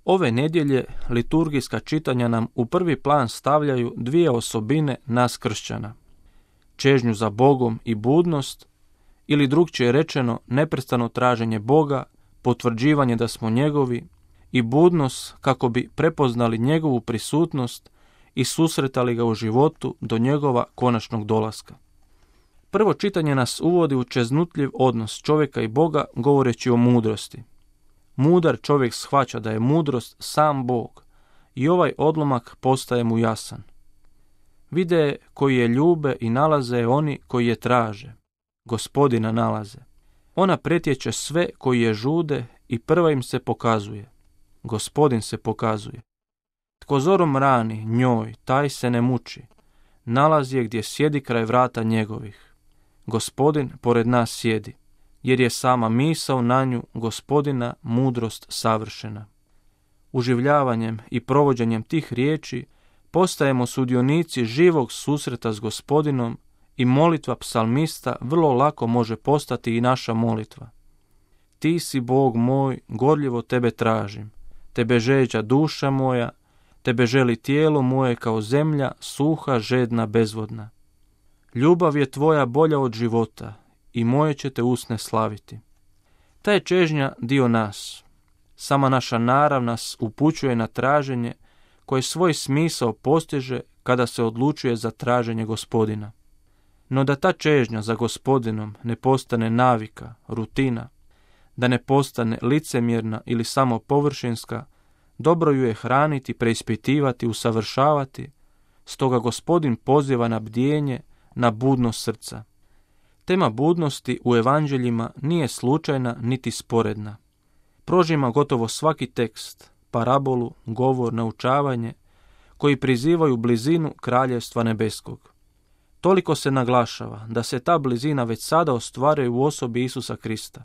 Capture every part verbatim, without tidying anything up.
Ove nedjelje liturgijska čitanja nam u prvi plan stavljaju dvije osobine nas kršćana. Čežnju za Bogom i budnost, ili drukčije rečeno neprestano traženje Boga, potvrđivanje da smo njegovi i budnost kako bi prepoznali njegovu prisutnost i susretali ga u životu do njegova konačnog dolaska. Prvo čitanje nas uvodi u čeznutljiv odnos čovjeka i Boga govoreći o mudrosti. Mudar čovjek shvaća da je mudrost sam Bog i ovaj odlomak postaje mu jasan. Vide koji je ljube i nalaze oni koji je traže. Gospodina nalaze. Ona pretječe sve koji je žude i prva im se pokazuje. Gospodin se pokazuje. Tko zorom rani njoj, taj se ne muči. Nalazi je gdje sjedi kraj vrata njegovih. Gospodin pored nas sjedi, jer je sama misao na nju Gospodina mudrost savršena. Uživljavanjem i provođenjem tih riječi postajemo sudionici živog susreta s Gospodinom i molitva psalmista vrlo lako može postati i naša molitva. Ti si Bog moj, gorljivo tebe tražim, tebe žeđa duša moja, tebe želi tijelo moje kao zemlja, suha, žedna, bezvodna. Ljubav je tvoja bolja od života i moje će te usne slaviti. Ta je čežnja dio nas. Sama naša narav nas upućuje na traženje koje svoj smisao postiže kada se odlučuje za traženje Gospodina. No da ta čežnja za Gospodinom ne postane navika, rutina, da ne postane licemjerna ili samo površinska, dobro ju je hraniti, preispitivati, usavršavati, stoga Gospodin poziva na bdjenje, na budnost srca. Tema budnosti u evanđeljima nije slučajna niti sporedna. Prožima gotovo svaki tekst, parabolu, govor, naučavanje, koji prizivaju blizinu kraljevstva nebeskog. Toliko se naglašava da se ta blizina već sada ostvaruje u osobi Isusa Krista.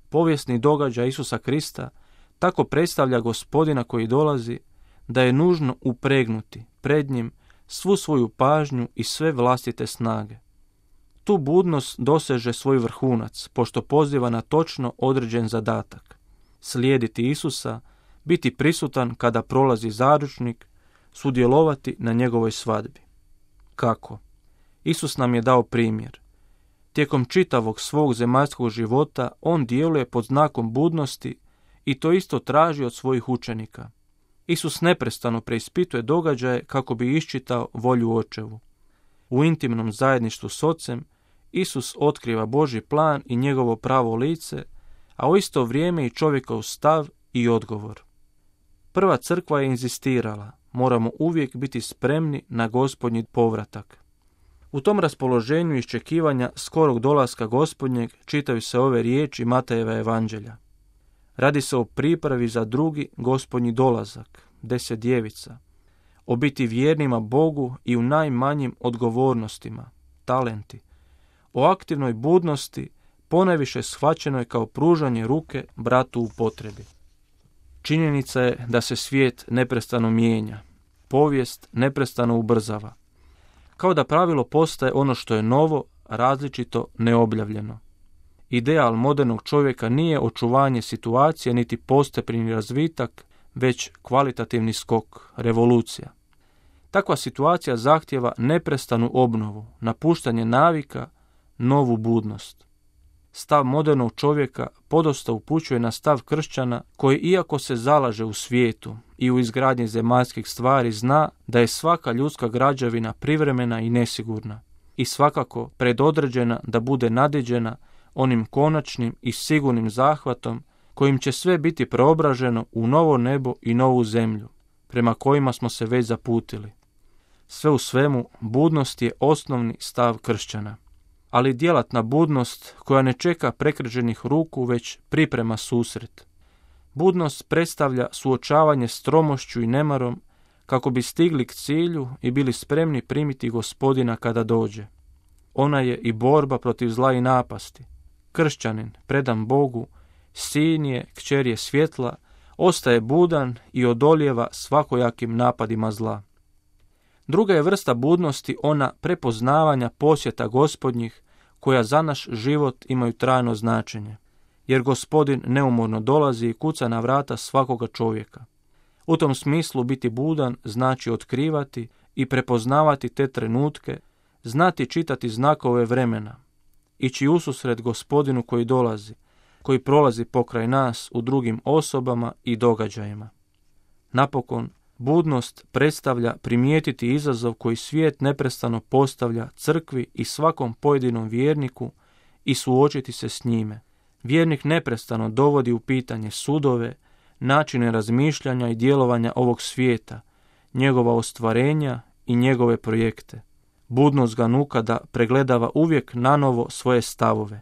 Povijesni događaj Isusa Krista tako predstavlja Gospodina koji dolazi, da je nužno upregnuti pred njim svu svoju pažnju i sve vlastite snage. Tu budnost doseže svoj vrhunac, pošto poziva na točno određen zadatak. Slijediti Isusa, biti prisutan kada prolazi zaručnik, sudjelovati na njegovoj svadbi. Kako? Isus nam je dao primjer. Tijekom čitavog svog zemaljskog života on djeluje pod znakom budnosti i to isto traži od svojih učenika. Isus neprestano preispituje događaje kako bi iščitao volju Očevu. U intimnom zajedništvu s Ocem Isus otkriva Božji plan i njegovo pravo lice, a u isto vrijeme i čovjekov stav i odgovor. Prva crkva je inzistirala, moramo uvijek biti spremni na Gospodnji povratak. U tom raspoloženju iščekivanja skorog dolaska Gospodnjeg čitaju se ove riječi Matejeva evanđelja. Radi se o pripravi za drugi Gospodnji dolazak, deset djevica, o biti vjernima Bogu i u najmanjim odgovornostima, talenti, o aktivnoj budnosti, ponajviše shvaćenoj kao pružanje ruke bratu u potrebi. Činjenica je da se svijet neprestano mijenja, povijest neprestano ubrzava. Kao da pravilo postaje ono što je novo, različito, neobjavljeno. Ideal modernog čovjeka nije očuvanje situacije niti postepeni razvitak, već kvalitativni skok, revolucija. Takva situacija zahtjeva neprestanu obnovu, napuštanje navika, novu budnost. Stav modernog čovjeka podosta upućuje na stav kršćana koji, iako se zalaže u svijetu i u izgradnji zemaljskih stvari, zna da je svaka ljudska građevina privremena i nesigurna i svakako predodređena da bude nadiđena onim konačnim i sigurnim zahvatom kojim će sve biti preobraženo u novo nebo i novu zemlju, prema kojima smo se već zaputili. Sve u svemu, budnost je osnovni stav kršćana, ali djelatna budnost koja ne čeka prekriženih ruku, već priprema susret. Budnost predstavlja suočavanje s tromošću i nemarom kako bi stigli k cilju i bili spremni primiti Gospodina kada dođe. Ona je i borba protiv zla i napasti. Kršćanin, predan Bogu, sin je, kćer je svjetla, ostaje budan i odolijeva svakojakim napadima zla. Druga je vrsta budnosti ona prepoznavanja posjeta Gospodnjih koja za naš život imaju trajno značenje, jer Gospodin neumorno dolazi i kuca na vrata svakoga čovjeka. U tom smislu biti budan znači otkrivati i prepoznavati te trenutke, znati čitati znakove vremena, ići ususret Gospodinu koji dolazi, koji prolazi pokraj nas u drugim osobama i događajima. Napokon, budnost predstavlja primijetiti izazov koji svijet neprestano postavlja crkvi i svakom pojedinom vjerniku i suočiti se s njime. Vjernik neprestano dovodi u pitanje sudove, načine razmišljanja i djelovanja ovog svijeta, njegova ostvarenja i njegove projekte. Budnost ga nuka da pregledava uvijek nanovo svoje stavove.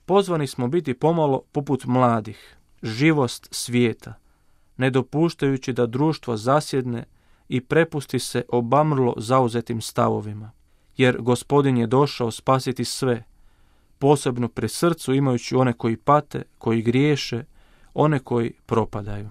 Pozvani smo biti pomalo poput mladih, živost svijeta, ne dopuštajući da društvo zasjedne i prepusti se obamrlo zauzetim stavovima. Jer Gospodin je došao spasiti sve, posebno pri srcu imajući one koji pate, koji griješe, one koji propadaju.